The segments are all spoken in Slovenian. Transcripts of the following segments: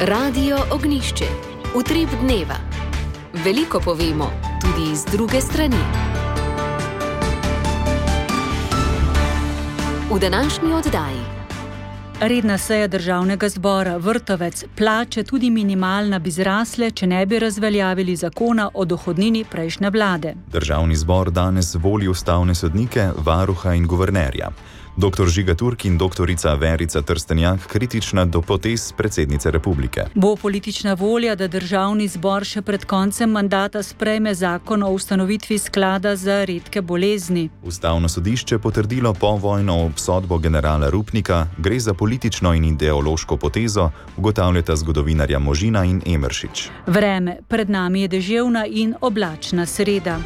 Radio Ognjišče. Utrip dneva. Veliko povemo, tudi iz druge strani. V današnji oddaji. Redna seja državnega zbora, Vrtovec, plače tudi minimalna bi zrasle, če ne bi razveljavili zakona o dohodnini prejšnje vlade. Državni zbor danes voli ustavne sodnike, varuha in guvernerja. Dr. Žiga Turk in doktorica Verica Trstenjak kritična do potez predsednice republike. Bo politična volja, da državni zbor še pred koncem mandata sprejme zakon o ustanovitvi sklada za redke bolezni? Ustavno sodišče potrdilo povojno obsodbo generala Rupnika, gre za politično in ideološko potezo, ugotavljata zgodovinarja Možina in Emeršič. Vreme, pred nami je deževna in oblačna sreda.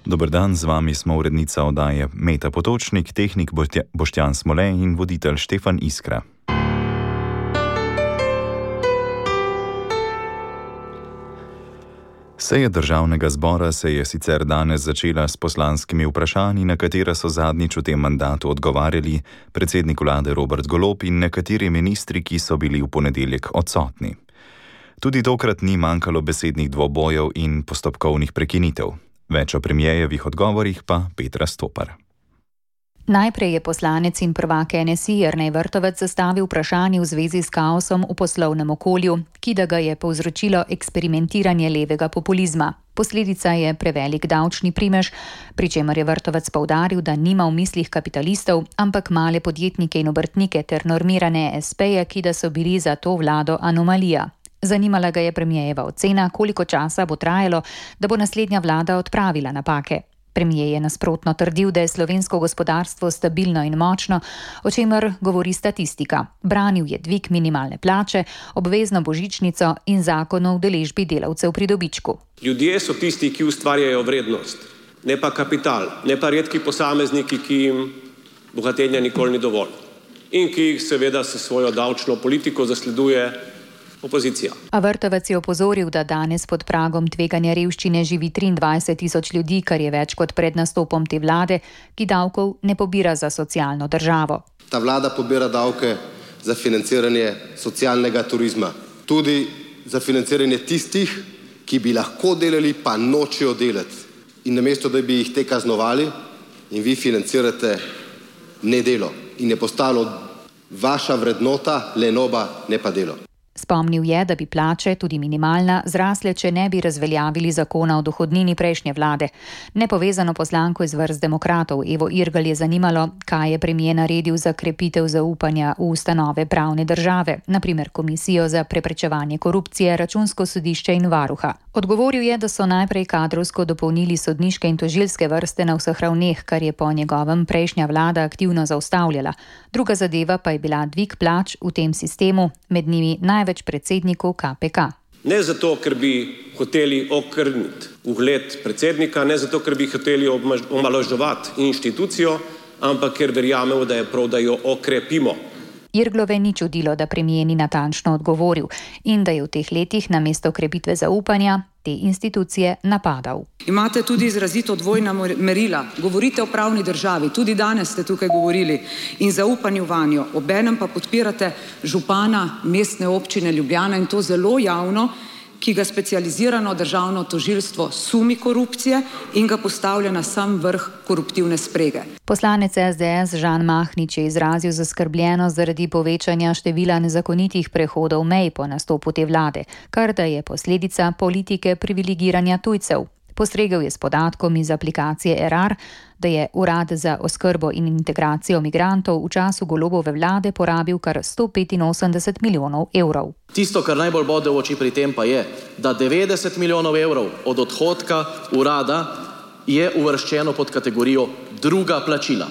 Dober dan, z vami smo urednica oddaje Meta Potočnik, tehnik Boštjan Smole in voditelj Štefan Iskra. Seja državnega zbora se je sicer danes začela s poslanskimi vprašanji, na katera so zadnjič v tem mandatu odgovarjali predsednik vlade Robert Golob in nekateri ministri, ki so bili v ponedeljek odsotni. Tudi tokrat ni manjkalo besednih dvobojev in postopkovnih prekinitev. Več o premijejevih odgovorih pa Petra Stopar. Najprej je poslanec in prvak NSI Jernej Vrtovec zastavil vprašanje v zvezi s kaosom v poslovnem okolju, ki da ga je povzročilo eksperimentiranje levega populizma. Posledica je prevelik davčni primež, pri čemer je Vrtovec poudaril, da nima v mislih kapitalistov, ampak male podjetnike in obrtnike ter normirane espeje, ki da so bili za to vlado anomalija. Zanimala ga je premijejeva ocena, koliko časa bo trajalo, da bo naslednja vlada odpravila napake. Premijer je nasprotno trdil, da je slovensko gospodarstvo stabilno in močno, o čemer govori statistika. Branil je dvig minimalne plače, obvezno božičnico in zakon o udeležbi delavcev pri dobičku. Ljudje so tisti, ki ustvarjajo vrednost, ne pa kapital, ne pa redki posamezniki, ki jim bogatenja nikoli ni dovolj in ki jih seveda s svojo davčno politiko zasleduje opozicija. A Vrtovec je opozoril, da danes pod pragom tveganja revščine živi 23.000 ljudi, kar je več kot pred nastopom te vlade, ki davkov ne pobira za socialno državo. Ta vlada pobira davke za financiranje socialnega turizma. Tudi za financiranje tistih, ki bi lahko delali, pa nočejo delati. In namesto, da bi jih te kaznovali, in vi financirate nedelo. In je postalo vaša vrednota lenoba, ne pa delo. Spomnil je, da bi plače, tudi minimalna, zrasle, če ne bi razveljavili zakona o dohodnini prejšnje vlade. Nepovezano poslanko iz vrst demokratov Evo Irgl je zanimalo, kaj je premijer naredil za krepitev zaupanja v ustanove pravne države, naprimer Komisijo za preprečevanje korupcije, Računsko sodišče in varuha. Odgovoril je, da so najprej kadrovsko dopolnili sodniške in tožilske vrste na vseh ravneh, kar je po njegovem prejšnja vlada aktivno zaustavljala. Druga zadeva pa je bila dvig plač v tem sistemu, med njimi največ predsednikov KPK. Ne zato, ker bi hoteli okrniti ugled predsednika, ne zato, ker bi hoteli omalovaževati inštitucijo, ampak ker verjamemo, da je prav, da jo okrepimo. Irglove ni čudilo, da premijer ni natančno odgovoril in da je v teh letih namesto krepitve zaupanja te institucije napadal. Imate tudi izrazito dvojna merila. Govorite o pravni državi, tudi danes ste tukaj govorili, in zaupanju vanjo. Obenem pa podpirate župana mestne občine Ljubljana in to zelo javno, ki ga specializirano državno tožilstvo sumi korupcije in ga postavlja na sam vrh koruptivne sprege. Poslanec SDS Žan Mahnič je izrazil zaskrbljenost zaradi povečanja števila nezakonitih prehodov mej po nastopu te vlade, kar da je posledica politike privilegiranja tujcev. Postregel je s podatkom iz aplikacije Erar, da je Urad za oskrbo in integracijo migrantov v času Golobove vlade porabil kar 185 milijonov evrov. Tisto, kar najbolj bode v oči pri tem pa je, da 90 milijonov evrov od odhodka urada je uvrščeno pod kategorijo druga plačila,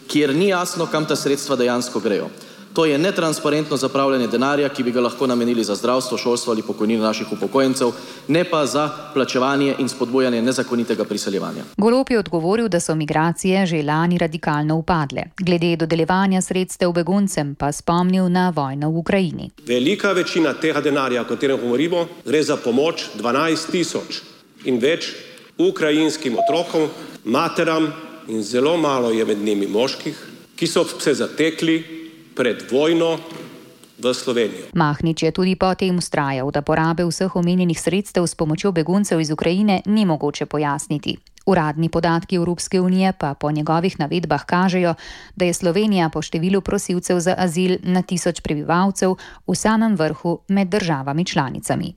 kjer ni jasno, kam ta sredstva dejansko grejo. To je netransparentno zapravljanje denarja, ki bi ga lahko namenili za zdravstvo, šolstvo ali pokojnine naših upokojencev, ne pa za plačevanje in spodbujanje nezakonitega priseljevanja. Golob je odgovoril, da so migracije že lani radikalno upadle. Glede dodeljevanja sredstev beguncem pa spomnil na vojno v Ukrajini. Velika večina tega denarja, o katerem govorimo, gre za pomoč 12.000 in več ukrajinskim otrokom, materam in zelo malo je med njimi moških, ki so se zatekli pred vojno v Slovenijo. Mahnič je tudi potem vztrajal, da porabe vseh omenjenih sredstev s pomočjo beguncev iz Ukrajine ni mogoče pojasniti. Uradni podatki Evropske unije pa po njegovih navedbah kažejo, da je Slovenija po številu prosilcev za azil na 1000 prebivalcev v samem vrhu med državami članicami.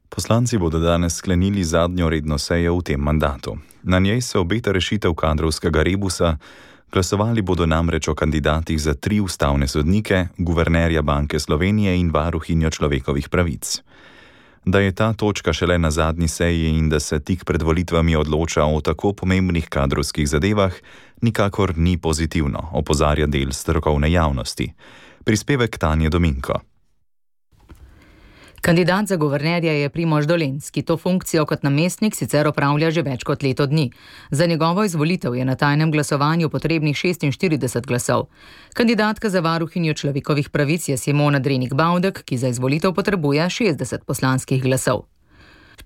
Poslanci bodo danes sklenili zadnjo redno sejo v tem mandatu. Na njej se obeta rešitev kadrovskega rebusa. Glasovali bodo namreč o kandidatih za 3 ustavne sodnike, guvernerja Banke Slovenije in varuhinjo človekovih pravic. Da je ta točka šele na zadnji seji in da se tik pred volitvami odloča o tako pomembnih kadrovskih zadevah, nikakor ni pozitivno, opozarja del strokovne javnosti. Prispevek Tanje Dominko. Kandidat za guvernerja je Primož Dolenc, ki to funkcijo kot namestnik sicer opravlja že več kot leto dni. Za njegovo izvolitev je na tajnem glasovanju potrebnih 46 glasov. Kandidatka za varuhinjo človekovih pravic je Simona Drenik-Bavdek, ki za izvolitev potrebuje 60 poslanskih glasov.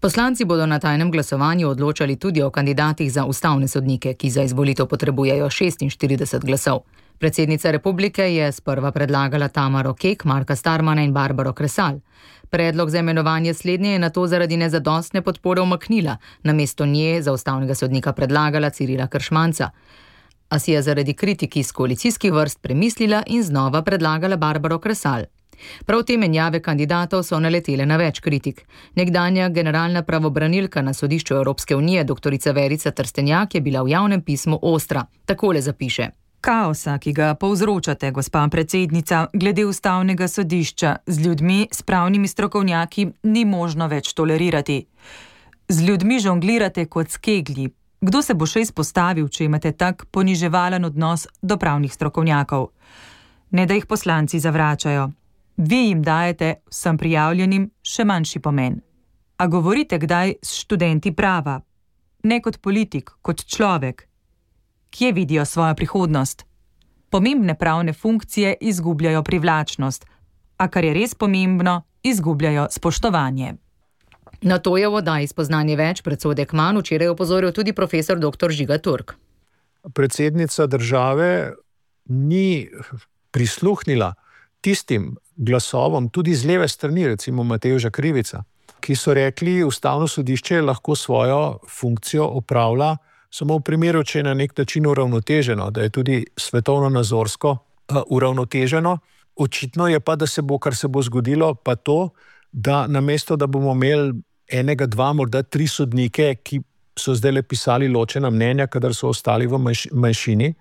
Poslanci bodo na tajnem glasovanju odločali tudi o kandidatih za ustavne sodnike, ki za izvolitev potrebujejo 46 glasov. Predsednica republike je sprva predlagala Tamaro Kek, Marka Starmana in Barbaro Kresal. Predlog za imenovanje slednje je nato zaradi nezadostne podpore umaknila, namesto nje za ustavnega sodnika predlagala Cirila Kršmanca. A si je zaradi kritik iz koalicijskih vrst premislila in znova predlagala Barbaro Kresal. Prav te menjave kandidatov so naletele na več kritik. Nekdanja generalna pravobranilka na sodišču Evropske unije, doktorica Verica Trstenjak, je bila v javnem pismu ostra. Takole zapiše. Kaosa, ki ga povzročate, gospa predsednica, glede ustavnega sodišča z ljudmi, s pravnimi strokovnjaki, ni možno več tolerirati. Z ljudmi žonglirate kot s keglji. Kdo se bo še izpostavil, če imate tak poniževalen odnos do pravnih strokovnjakov? Ne da jih poslanci zavračajo. Vi jim dajete vsem prijavljenim še manjši pomen. A govorite kdaj s študenti prava? Ne kot politik, kot človek. Kje vidijo svojo prihodnost? Pomembne pravne funkcije izgubljajo privlačnost, a kar je res pomembno, izgubljajo spoštovanje. Na to je v oddaji Spoznanje več predsodek manj včeraj opozoril tudi profesor dr. Žiga Turk. Predsednica države ni prisluhnila tistim glasovom, tudi z leve strani, recimo Matevža Krivica, ki so rekli, ustavno sodišče lahko svojo funkcijo opravlja samo v primeru, če je na nek način uravnoteženo, da je tudi svetovno-nazorsko uravnoteženo. Očitno je pa, da se bo, kar se bo zgodilo, pa to, da namesto, da bomo imeli 1, 2, morda 3 sodnike, ki so zdaj pisali ločena mnenja, kadar so ostali v manjšini,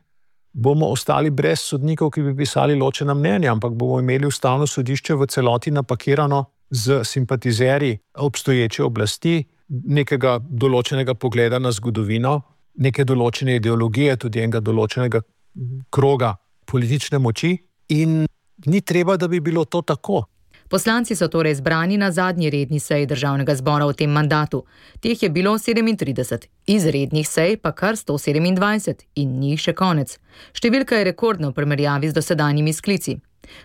bomo ostali brez sodnikov, ki bi pisali ločena mnenja, ampak bomo imeli ustavno sodišče v celoti napakirano z simpatizerji obstoječe oblasti, nekega določenega pogleda na zgodovino, neke določene ideologije, tudi enega določenega kroga politične moči, in ni treba, da bi bilo to tako. Poslanci so torej zbrani na zadnji redni seji državnega zbora v tem mandatu. Teh je bilo 37, izrednih sej pa kar 127 in njih še konec. Številka je rekordna v primerjavi z dosedanjimi sklici.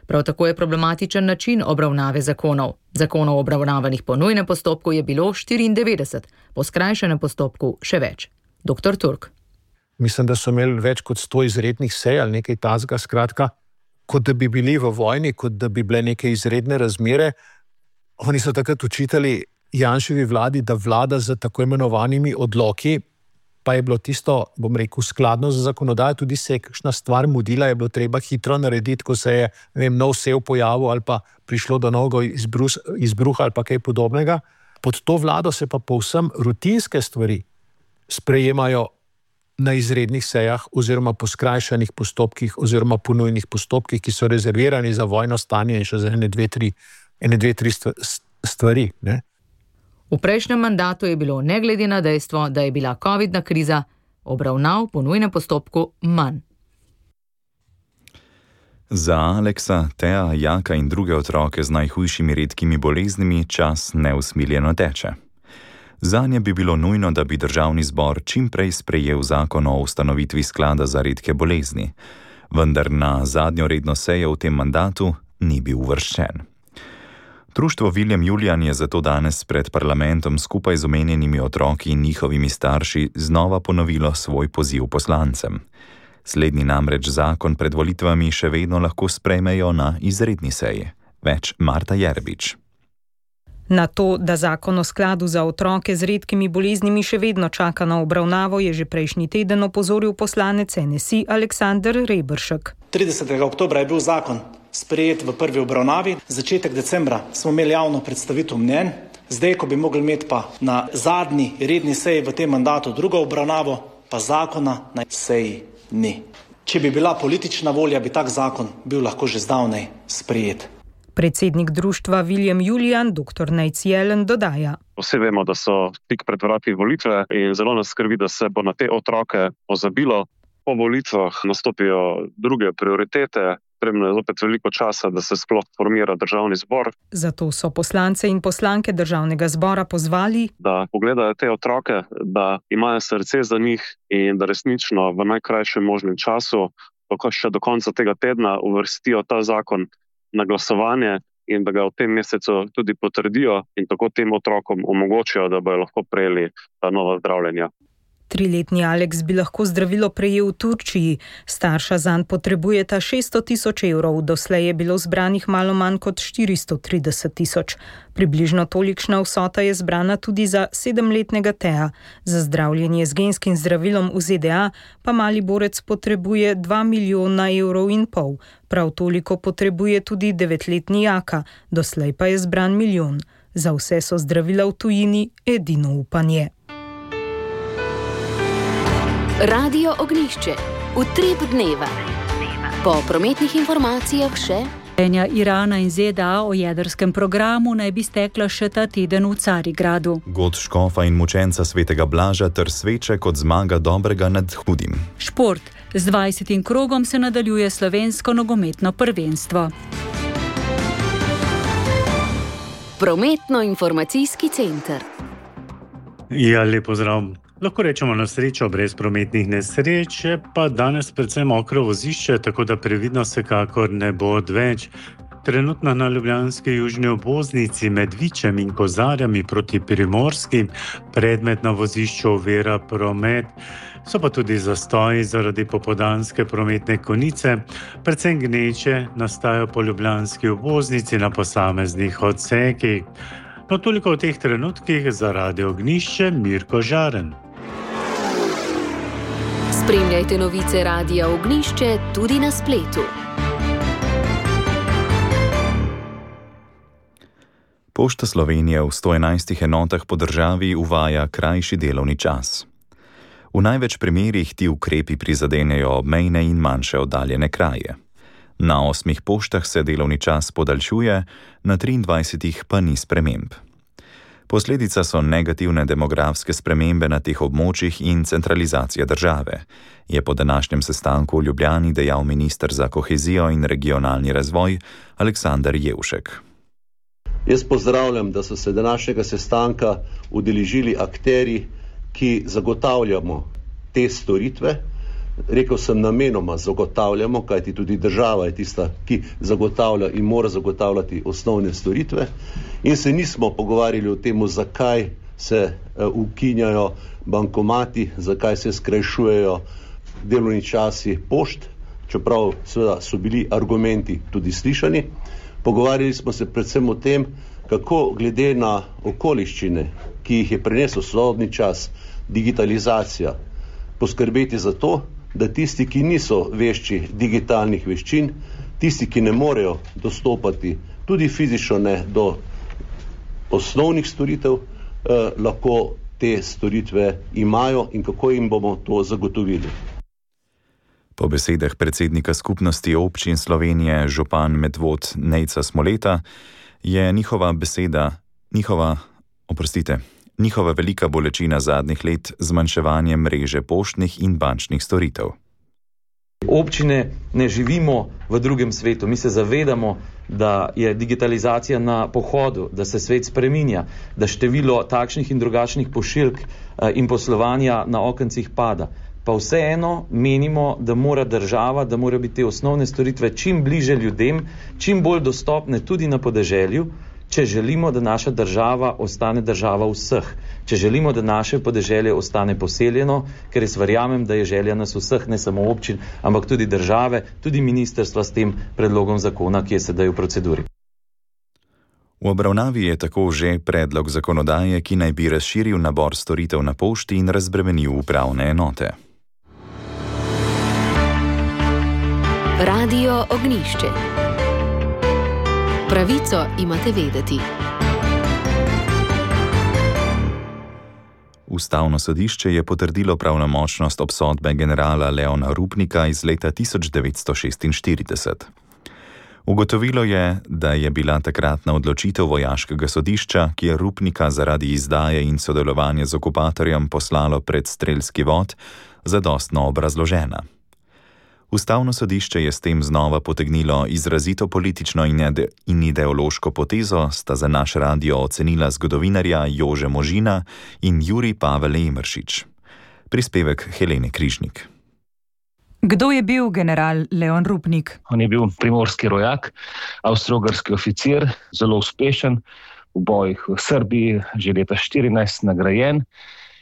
Prav tako je problematičen način obravnave zakonov. Zakonov obravnavanih po nujnem postopku je bilo 94, po skrajšanem postopku še več. Dr. Turk. Mislim, da so imeli več kot 100 izrednih sej ali nekaj tazga, skratka, kot da bi bili v vojni, kot da bi bile neke izredne razmere. Oni so takrat učitali Janševi vladi, da vlada z tako imenovanimi odloki, pa je bilo tisto, bom rekel, skladno z zakonodajo, tudi se je kakšna stvar mudila, je bilo treba hitro narediti, ko se je, nov sev pojavil ali pa prišlo do novega izbruha ali pa kaj podobnega. Pod to vlado se pa povsem rutinske stvari sprejemajo na izrednih sejah oziroma po skrajšanih postopkih oziroma po nujnih postopkih, ki so rezervirani za vojno stanje in še za ene, dve, tri stvari. Ne? V prejšnjem mandatu je bilo, ne glede na dejstvo, da je bila covidna kriza, obravnav po nujnem postopku manj. Za Aleksa, Teja, Jaka in druge otroke z najhujšimi redkimi boleznimi čas neusmiljeno teče. Zanje bi bilo nujno, da bi državni zbor čim prej sprejel zakon o ustanovitvi sklada za redke bolezni, vendar na zadnjo redno sejo v tem mandatu ni bil uvrščen. Društvo Viljem Julijan je zato danes pred parlamentom skupaj z omenjenimi otroki in njihovimi starši znova ponovilo svoj poziv poslancem. Slednji namreč zakon pred volitvami še vedno lahko sprejmejo na izredni seji. Več Marta Jerbič. Na to, da zakon o skladu za otroke z redkimi boleznimi še vedno čaka na obravnavo, je že prejšnji teden opozoril poslanec NSI Aleksander Reberšek. 30. oktobra je bil zakon sprejet v prvi obravnavi, začetek decembra smo imeli javno predstavitev mnenj, zdaj, ko bi mogli imeti pa na zadnji redni seji v tem mandatu drugo obravnavo, pa zakona na seji ni. Če bi bila politična volja, bi tak zakon bil lahko že zdavnaj sprejet. Predsednik društva William Julian, dr. Nejc Jelen, dodaja. Vsi vemo, da so tik pred vrati volitve in zelo nas skrbi, da se bo na te otroke pozabilo. Po volitvah nastopijo druge prioritete, potrebno je zopet veliko časa, da se sploh formira državni zbor. Zato so poslance in poslanke državnega zbora pozvali, da pogledajo te otroke, da imajo srce za njih in da resnično v najkrajšem možnem času, še do konca tega tedna, uvrstijo ta zakon na glasovanje in da ga v tem mesecu tudi potrdijo in tako tem otrokom omogočijo, da bodo lahko prejeli ta nova zdravljenja. 3-letni Aleks bi lahko zdravilo prejel v Turčiji. Starša zanj potrebujeta 600 000 evrov, doslej je bilo zbranih malo manj kot 430 000. Približno tolikšna vsota je zbrana tudi za 7-letnega Teja. Za zdravljenje z genskim zdravilom v ZDA pa mali borec potrebuje 2,5 milijona evrov. Prav toliko potrebuje tudi 9-letni Jaka, doslej pa je zbran 1 milijon. Za vse so zdravila v tujini edino upanje. Radio Ognjišče. Utrip dneva. Po prometnih informacijah še Irana in ZDA o jedrskem programu naj bi stekla še ta teden v Carigradu. God škofa in mučenca svetega Blaža ter sveče kot zmaga dobrega nad hudim. Šport. Z 20. krogom se nadaljuje slovensko nogometno prvenstvo. Prometno-informacijski center. Ja, lep pozdrav. Lahko rečemo na srečo brez prometnih nesreč, pa danes predvsem mokro vozišče, tako da previdno vsekakor ne bo odveč. Trenutno na ljubljanski južni obvoznici med Vičem in Kozarjami proti Primorski predmet na vozišču ovira promet. So pa tudi zastoji zaradi popoldanske prometne konice, predvsem gneče nastajajo po ljubljanski obvoznici na posameznih odsekih. No, toliko v teh trenutkih za Radio Ognjišče, Mirko Žaren. Spremljajte novice Radia Ognjišče tudi na spletu. Pošta Slovenije v 111 enotah po državi uvaja krajši delovni čas. V največ primerih ti ukrepi prizadenejo obmejne in manjše oddaljene kraje. Na 8 poštah se delovni čas podaljšuje, na 23 pa ni sprememb. Posledica so negativne demografske spremembe na teh območjih in centralizacija države, je po današnjem sestanku v Ljubljani dejal minister za kohezijo in regionalni razvoj Aleksander Jevšek. Jaz pozdravljam, da so se današnjega sestanka udeležili akterji, ki zagotavljamo te storitve. Rekel sem namenoma zagotavljamo, kajti tudi država je tista, ki zagotavlja in mora zagotavljati osnovne storitve. In se nismo pogovarjali o tem, zakaj se ukinjajo bankomati, zakaj se skrajšujejo delovni časi pošt, čeprav seveda so bili argumenti tudi slišani. Pogovarjali smo se predvsem o tem, kako glede na okoliščine, ki jih je prinesel sodobni čas, digitalizacija, poskrbeti za to, da tisti, ki niso vešči digitalnih veščin, tisti, ki ne morejo dostopati tudi fizično ne do osnovnih storitev, lahko te storitve imajo in kako jim bomo to zagotovili. Po besedah predsednika skupnosti občin Slovenije župan Medvod Nejca Smoleta je njihova velika bolečina zadnjih let zmanjševanje mreže poštnih in bančnih storitev. Občine ne živimo v drugem svetu. Mi se zavedamo, da je digitalizacija na pohodu, da se svet spreminja, da število takšnih in drugačnih pošiljk in poslovanja na okencih pada. Pa vseeno menimo, da mora država, da mora biti te osnovne storitve čim bliže ljudem, čim bolj dostopne tudi na podeželju, če želimo, da naša država ostane država vseh, če želimo, da naše podeželje ostane poseljeno, ker jaz verjamem, da je želja nas vseh, ne samo občin, ampak tudi države, tudi ministrstva s tem predlogom zakona, ki je sedaj v proceduri. V obravnavi je tako že predlog zakonodaje, ki naj bi razširil nabor storitev na pošti in razbremenil upravne enote. Radio Ognišče. Pravico imate vedeti. Ustavno sodišče je potrdilo pravnomočnost obsodbe generala Leona Rupnika iz leta 1946. Ugotovilo je, da je bila takratna odločitev vojaškega sodišča, ki je Rupnika zaradi izdaje in sodelovanja z okupatorjem poslalo pred strelski vod, zadostno obrazložena. Ustavno sodišče je s tem znova potegnilo izrazito politično in ideološko potezo, sta za naš radio ocenila zgodovinarja Jože Možina in Jurij Pavel Emeršič. Prispevek Helene Križnik. Kdo je bil general Leon Rupnik? On je bil primorski rojak, avstro-ogrski oficir, zelo uspešen v bojih v Srbiji, že leta 14 nagrajen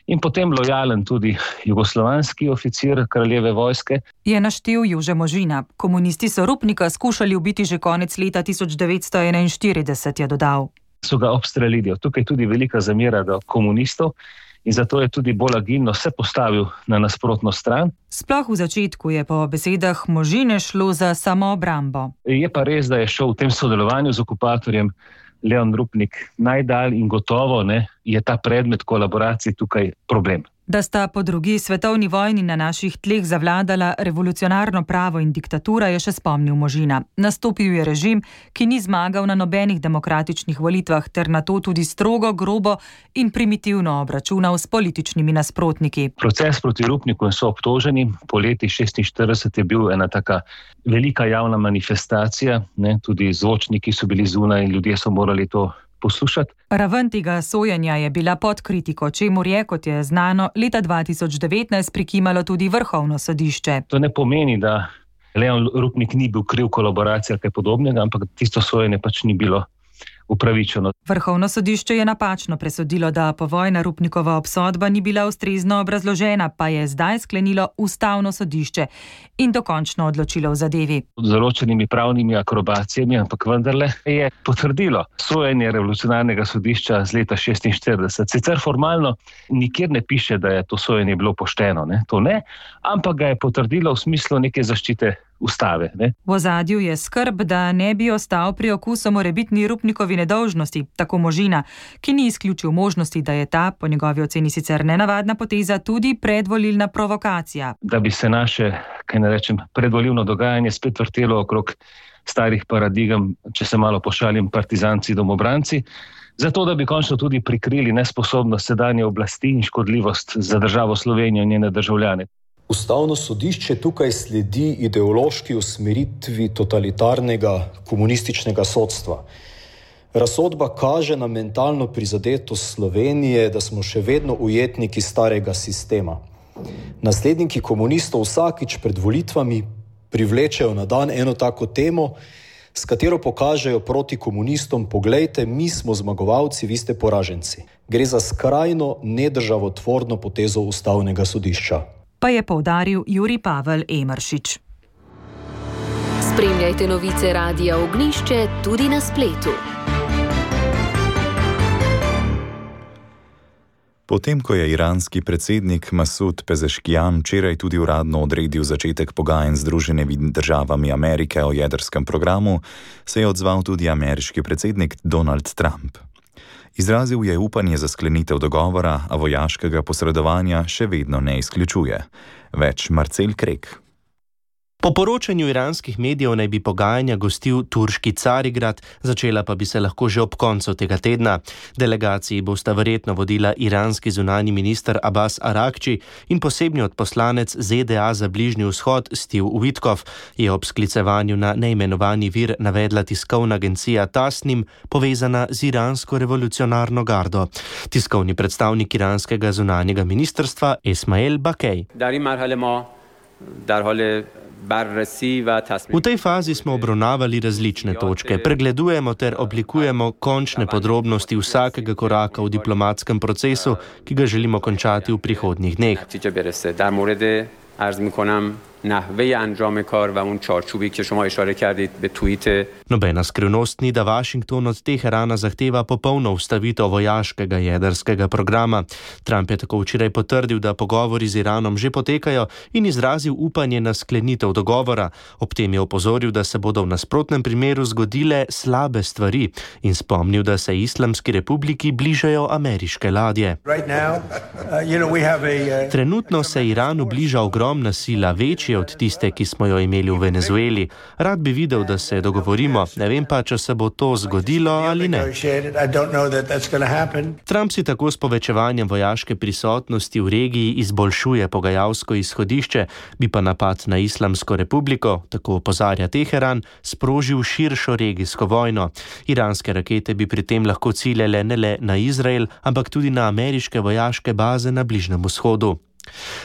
in potem lojalen tudi jugoslovanski oficir kraljeve vojske. Je naštel Jože Možina. Komunisti so Rupnika skušali ubiti že konec leta 1941, je dodal. So ga obstrelili. Tukaj je tudi velika zamera do komunistov in zato je tudi bolj agilno se postavil na nasprotno stran. Sploh v začetku je po besedah Možine šlo za samoobrambo. Je pa res, da je šel v tem sodelovanju z okupatorjem Leon Rupnik najdalj in gotovo je ta predmet kolaboracije tukaj problem. Da sta po drugi svetovni vojni na naših tleh zavladala revolucionarno pravo in diktatura, je še spomnil Možina. Nastopil je režim, ki ni zmagal na nobenih demokratičnih volitvah, ter na to tudi strogo, grobo in primitivno obračunal s političnimi nasprotniki. Proces proti Rupniku in soobtoženi po leti 1946 je bil ena taka velika javna manifestacija, tudi zvočniki so bili zunaj in ljudje so morali to poslušati. Raven tega sojenja je bila pod kritiko, čemur je, kot je znano, leta 2019 prikimalo tudi Vrhovno sodišče. To ne pomeni, da Leon Rupnik ni bil kriv kolaboracije ali kaj podobnega, ampak tisto sojenje pač ni bilo upravičeno. Vrhovno sodišče je napačno presodilo, da povojna Rupnikova obsodba ni bila ustrezno obrazložena, pa je zdaj sklenilo Ustavno sodišče in dokončno odločilo v zadevi. Z določenimi pravnimi akrobacijami, ampak vendarle je potrdilo sojenje revolucionarnega sodišča z leta 1946. Sicer formalno nikjer ne piše, da je to sojenje bilo pošteno, to ne, ampak ga je potrdilo v smislu neke zaščite ustave. V ozadju je skrb, da ne bi ostal pri okusu morebitni Rupnikovi nedolžnosti, tako Možina, ki ni izključil možnosti, da je ta, po njegovi oceni sicer nenavadna poteza, tudi predvolilna provokacija. Da bi se naše, predvolilno dogajanje spet vrtelo okrog starih paradigem, če se malo pošalim, partizanci, domobranci, zato da bi končno tudi prikrili nesposobnost sedanje oblasti in škodljivost za državo Slovenijo in njene državljane. Ustavno sodišče tukaj sledi ideološki usmeritvi totalitarnega komunističnega sodstva. Razsodba kaže na mentalno prizadetost Slovenije, da smo še vedno ujetniki starega sistema. Nasledniki komunistov vsakič pred volitvami privlečejo na dan eno tako temo, s katero pokažejo proti komunistom: poglejte, mi smo zmagovalci, vi ste poraženci. Gre za skrajno nedržavotvorno potezo Ustavnega sodišča. Pa je poudaril Jurij Pavel Emeršič. Spremljajte novice Radia Ognišče tudi na spletu. Potem, ko je iranski predsednik Masud Pezeškijan včeraj tudi uradno odredil začetek pogajanj z Združenimi državami Amerike o jedrskem programu, se je odzval tudi ameriški predsednik Donald Trump. Izrazil je upanje za sklenitev dogovora, a vojaškega posredovanja še vedno ne izključuje. Več Marcel Krek. Po poročanju iranskih medijev naj bi pogajanja gostil turški Carigrad, začela pa bi se lahko že ob koncu tega tedna. Delegaciji bosta verjetno vodila iranski zunanji minister Abbas Arakči in posebni odposlanec ZDA za Bližnji vzhod Steve Witkoff, je ob sklicevanju na neimenovani vir navedla tiskovna agencija Tasnim, povezana z iransko revolucionarno gardo. Tiskovni predstavnik iranskega zunanjega ministrstva Esmail Bakej. V tej fazi smo obravnavali različne točke, pregledujemo ter oblikujemo končne podrobnosti vsakega koraka v diplomatskem procesu, ki ga želimo končati v prihodnjih dneh. Nobena skrivnost ni, da Washington od Teherana zahteva popolno ustavitev vojaškega jedrskega programa. Trump je tako včeraj potrdil, da pogovori z Iranom že potekajo in izrazil upanje na sklenitev dogovora. Ob tem je opozoril, da se bodo v nasprotnem primeru zgodile slabe stvari in spomnil, da se Islamski republiki bližajo ameriške ladje. Trenutno se Iranu bliža ogromna sila, večja od tiste, ki smo jo imeli v Venezueli. Rad bi videl, da se dogovorimo, ne vem pa, če se bo to zgodilo ali ne. Trump si tako s povečevanjem vojaške prisotnosti v regiji izboljšuje pogajalsko izhodišče, bi pa napad na Islamsko republiko, tako opozarja Teheran, sprožil širšo regijsko vojno. Iranske rakete bi pri tem lahko ciljale ne le na Izrael, ampak tudi na ameriške vojaške baze na Bližnjem vzhodu.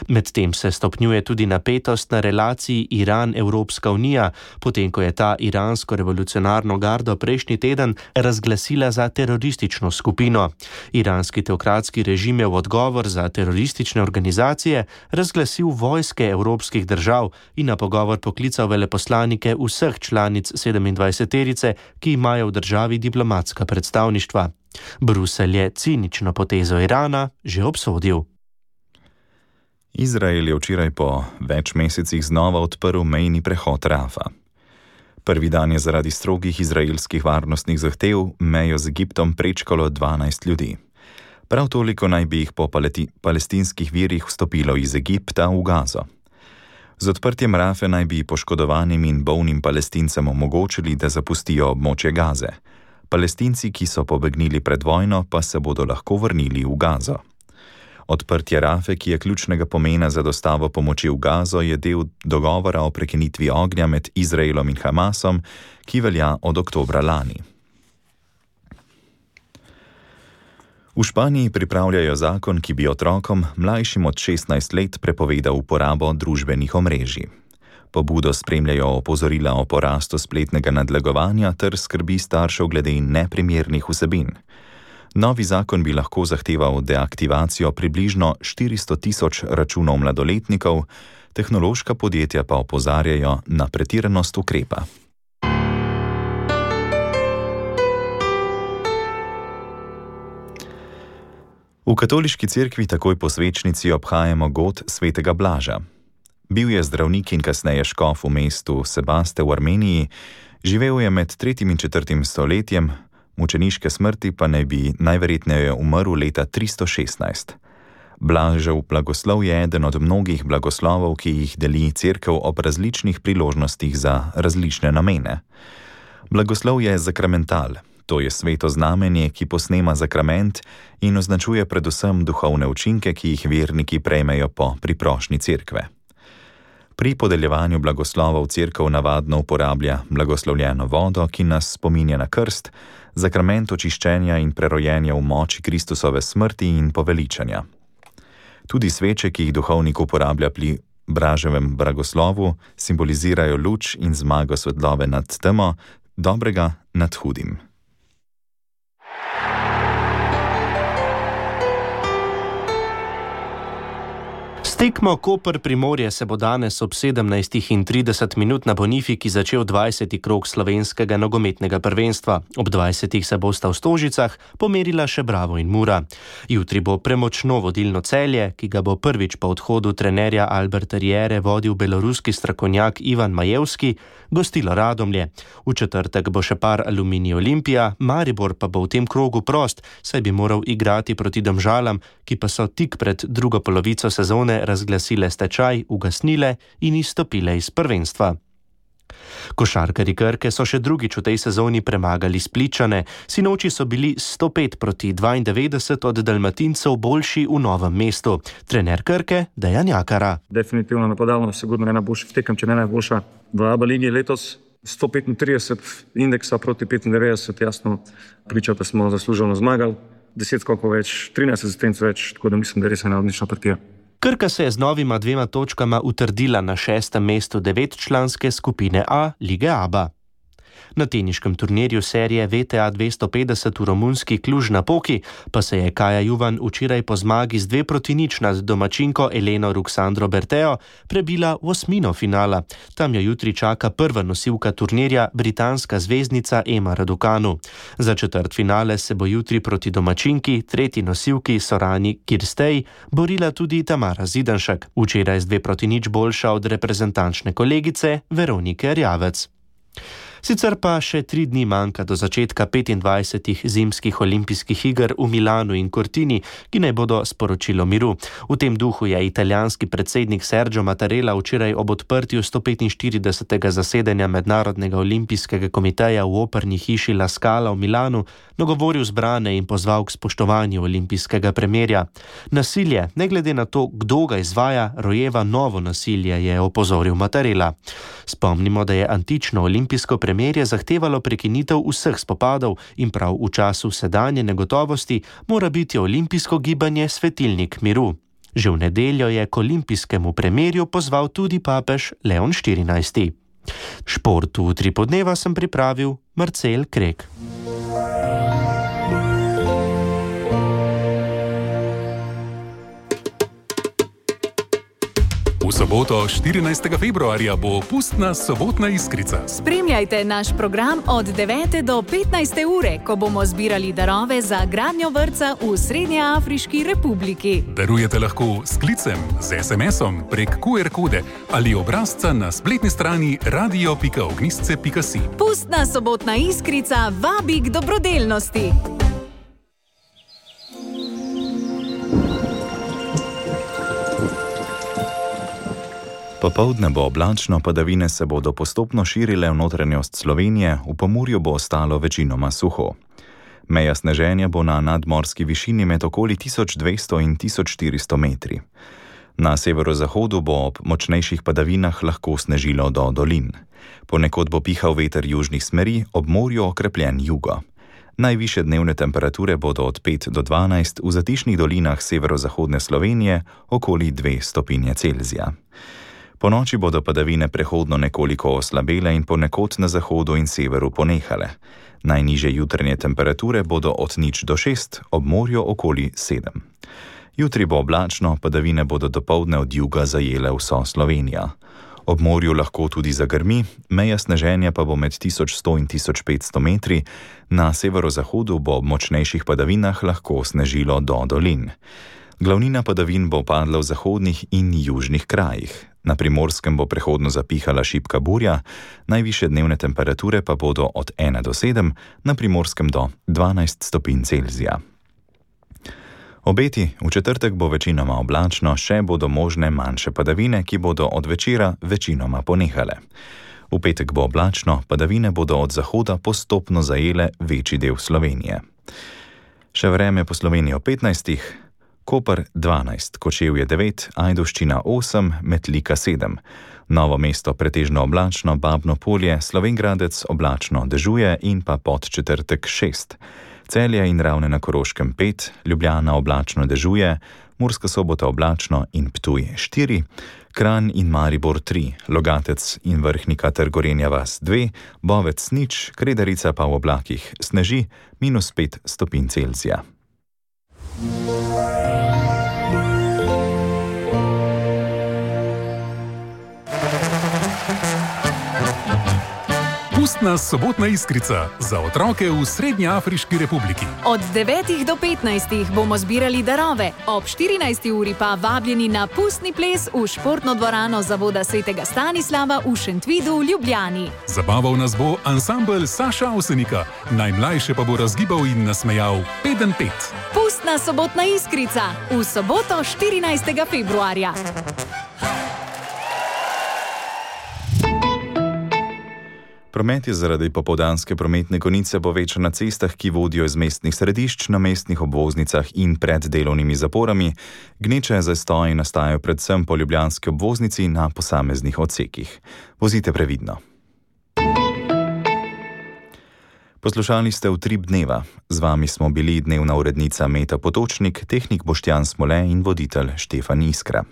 Medtem se stopnjuje tudi napetost na relaciji Iran-Evropska unija, potem ko je ta iransko revolucionarno gardo prejšnji teden razglasila za teroristično skupino. Iranski teokratski režim je v odgovor za teroristične organizacije razglasil vojske evropskih držav in na pogovor poklical veleposlanike vseh članic 27-terice, ki imajo v državi diplomatska predstavništva. Bruselj je cinično potezo Irana že obsodil. Izrael je včeraj po več mesecih znova odprl mejni prehod Rafa. Prvi dan je zaradi strogih izraelskih varnostnih zahtev mejo z Egiptom prečkalo 12 ljudi. Prav toliko naj bi jih po palestinskih virih vstopilo iz Egipta v Gazo. Z odprtjem Rafe naj bi poškodovanim in bolnim Palestincem omogočili, da zapustijo območje Gaze. Palestinci, ki so pobegnili pred vojno, pa se bodo lahko vrnili v Gazo. Odprtje Rafe, ki je ključnega pomena za dostavo pomoči v Gazo, je del dogovora o prekinitvi ognja med Izraelom in Hamasom, ki velja od oktobra lani. V Španiji pripravljajo zakon, ki bi otrokom, mlajšim od 16 let, prepovedal uporabo družbenih omrežij. Pobudo spremljajo opozorila o porastu spletnega nadlegovanja ter skrbi staršev glede neprimernih vsebin. Novi zakon bi lahko zahteval deaktivacijo približno 400.000 računov mladoletnikov, tehnološka podjetja pa opozarjajo na pretiranost ukrepa. V katoliški cerkvi takoj po svečnici obhajamo god svetega Blaža. Bil je zdravnik in kasneje škof v mestu Sebaste v Armeniji, živel je med 3. in 4. stoletjem, mučeniške smrti pa naj bi najverjetneje umrl leta 316. Blažev blagoslov je eden od mnogih blagoslovov, ki jih deli cerkev ob različnih priložnostih za različne namene. Blagoslov je zakramental, to je sveto znamenje, ki posnema zakrament in označuje predvsem duhovne učinke, ki jih verniki prejmejo po priprošnji cerkve. Pri podeljevanju blagoslovov cerkev navadno uporablja blagoslovljeno vodo, ki nas spominja na krst, zakrament očiščenja in prerojenja v moči Kristusove smrti in poveličanja. Tudi sveče, ki jih duhovnik uporablja pri Blaževem blagoslovu, simbolizirajo luč in zmago svetlobe nad temo, dobrega nad hudim. Tekmo Koper-Primorje se bo danes ob 17:30 na Bonifiki začel 20. krog slovenskega nogometnega prvenstva. Ob 20. se bosta v Stožicah pomerila še Bravo in Mura. Jutri bo premočno vodilno Celje, ki ga bo prvič po odhodu trenerja Alberta Riere vodil beloruski strokovnjak Ivan Majevski, gostilo Radomlje. V četrtek bo še par Aluminij Olimpija, Maribor pa bo v tem krogu prost, saj bi moral igrati proti Domžalam, ki pa so tik pred drugo polovico sezone razglasile stečaj, ugasnile in izstopile iz prvenstva. Košarkarji Krke so še drugič v tej sezoni premagali Spličane. Sinoči so bili 105-92 od Dalmatincev boljši v Novem mestu. Trener Krke Dejan Jakara. Definitivno napadalno, sigurno ena boljših tekem, če ne najboljša v ABA ligi letos. 135 indeksa proti 95, jasno priča, da smo zasluženo zmagali. 10 skokov več, 13 asistenc več, tako da mislim, da je res ena odlična partija. Krka se je z novima 2 točkama utrdila na 6. mestu 9-članske skupine A lige ABA. Na teniškem turnirju serije VTA 250 v romunski Cluj-Napoki pa se je Kaja Juvan včeraj po zmagi z 2-0 nad domačinko Eleno Ruxandro Berteo prebila v osmino finala. Tam jo jutri čaka prva nosilka turnirja, britanska zvezdnica Emma Raducanu. Za četrtfinale se bo jutri proti domačinki, tretji nosilki Sorani Kirstej, borila tudi Tamara Zidanšek, včeraj z 2-0 boljša od reprezentančne kolegice Veronike Rjavec. Sicer pa še 3 dni manjka do začetka 25. zimskih olimpijskih iger v Milanu in Cortini, ki naj bodo sporočilo miru. V tem duhu je italijanski predsednik Sergio Mattarella včeraj ob odprtju 145. zasedanja Mednarodnega olimpijskega komiteja v operni hiši La Scala v Milanu nagovoril zbrane in pozval k spoštovanju olimpijskega premirja. Nasilje, ne glede na to, kdo ga izvaja, rojeva novo nasilje, je opozoril Mattarella. Spomnimo, da je antično olimpijsko premirje zahtevalo prekinitev vseh spopadov in prav v času sedanje negotovosti mora biti olimpijsko gibanje svetilnik miru. Že v nedeljo je k olimpijskemu premirju pozval tudi papež Leon XIV. Šport v Utri podneva sem pripravil Marcel Krek. V soboto 14. februarja bo pustna sobotna iskrica. Spremljajte naš program od 9. do 15. ure, ko bomo zbirali darove za gradnjo vrtca v Srednjeafriški republiki. Darujete lahko s klicem, z SMS-om, prek QR kode ali obrazca na spletni strani radio.ognisce.si. Pustna sobotna iskrica vabi k dobrodelnosti. Popoldne bo oblačno, padavine se bodo postopno širile v notranjost Slovenije, v Pomurju bo ostalo večinoma suho. Meja sneženja bo na nadmorski višini med okoli 1200 in 1400 metri. Na severozahodu bo ob močnejših padavinah lahko snežilo do dolin. Ponekod bo pihal veter južnih smeri, ob morju okrepljen jugo. Najvišje dnevne temperature bodo od 5 do 12, v zatišnih dolinah severozahodne Slovenije okoli 2 stopinje Celzija. Po noči bodo padavine prehodno nekoliko oslabele in ponekod na zahodu in severu ponehale. Najnižje jutranje temperature bodo od 0 do 6, ob morju okoli 7. Jutri bo oblačno, padavine bodo dopoldne od juga zajele vso Slovenijo. Ob morju lahko tudi zagrmi, meja sneženja pa bo med 1100 in 1500 metri, na severozahodu bo ob močnejših padavinah lahko snežilo do dolin. Glavnina padavin bo padla v zahodnih in južnih krajih. Na Primorskem bo prehodno zapihala šibka burja, najvišje dnevne temperature pa bodo od 1 do 7, na Primorskem do 12 stopinj Celzija. Obeti: v četrtek bo večinoma oblačno, še bodo možne manjše padavine, ki bodo od večera večinoma ponehale. V petek bo oblačno, padavine bodo od zahoda postopno zajele večji del Slovenije. Še vreme po Sloveniji o 15. Koper 12, Kočevje 9, Ajdovščina 8, Metlika 7. Novo mesto pretežno oblačno, Babno Polje, Slovenj Gradec oblačno dežuje in pa Podčetrtek 6. Celje in Ravne na Koroškem 5, Ljubljana oblačno dežuje, Murska Sobota oblačno in Ptuj 4, Kranj in Maribor 3, Logatec in Vrhnika ter Gorenja vas 2, Bovec 0, Kredarica pa v oblakih sneži -5 stopinj Celzija. Pustna sobotna iskrica za otroke v Srednjeafriški republiki. Od 9. do 15. bomo zbirali darove, ob 14. uri pa vabljeni na pustni ples v športno dvorano Zavoda Svetega Stanislava v Šentvidu v Ljubljani. Zabaval nas bo ansambel Saša Avsenika, najmlajše pa bo razgibal in nasmejal Peden Pet. Pustna sobotna iskrica v soboto 14. februarja. Promet je zaradi popoldanske prometne konice povečan na cestah, ki vodijo iz mestnih središč, na mestnih obvoznicah in pred delovnimi zaporami. Gneče zastoji nastajajo predvsem po ljubljanski obvoznici na posameznih odsekih. Vozite previdno. Poslušali ste Utrip dneva. Z vami smo bili dnevna urednica Meta Potočnik, tehnik Boštjan Smole in voditelj Štefan Iskra.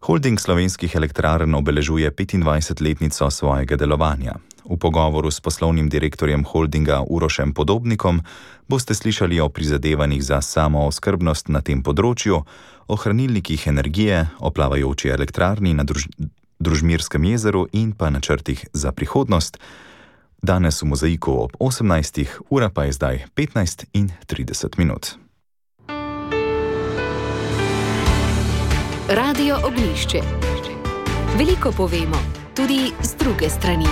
Holding slovenskih elektrarn obeležuje 25-letnico svojega delovanja. V pogovoru s poslovnim direktorjem holdinga Urošem Podobnikom boste slišali o prizadevanjih za samooskrbnost na tem področju, o hranilnikih energije, o plavajoči elektrarni na Družmirskem jezeru in pa načrtih za prihodnost. Danes v Mozaiku ob 18. ura pa je zdaj 15:30 minut. Radio Oglišče. Veliko povemo, tudi z druge strani.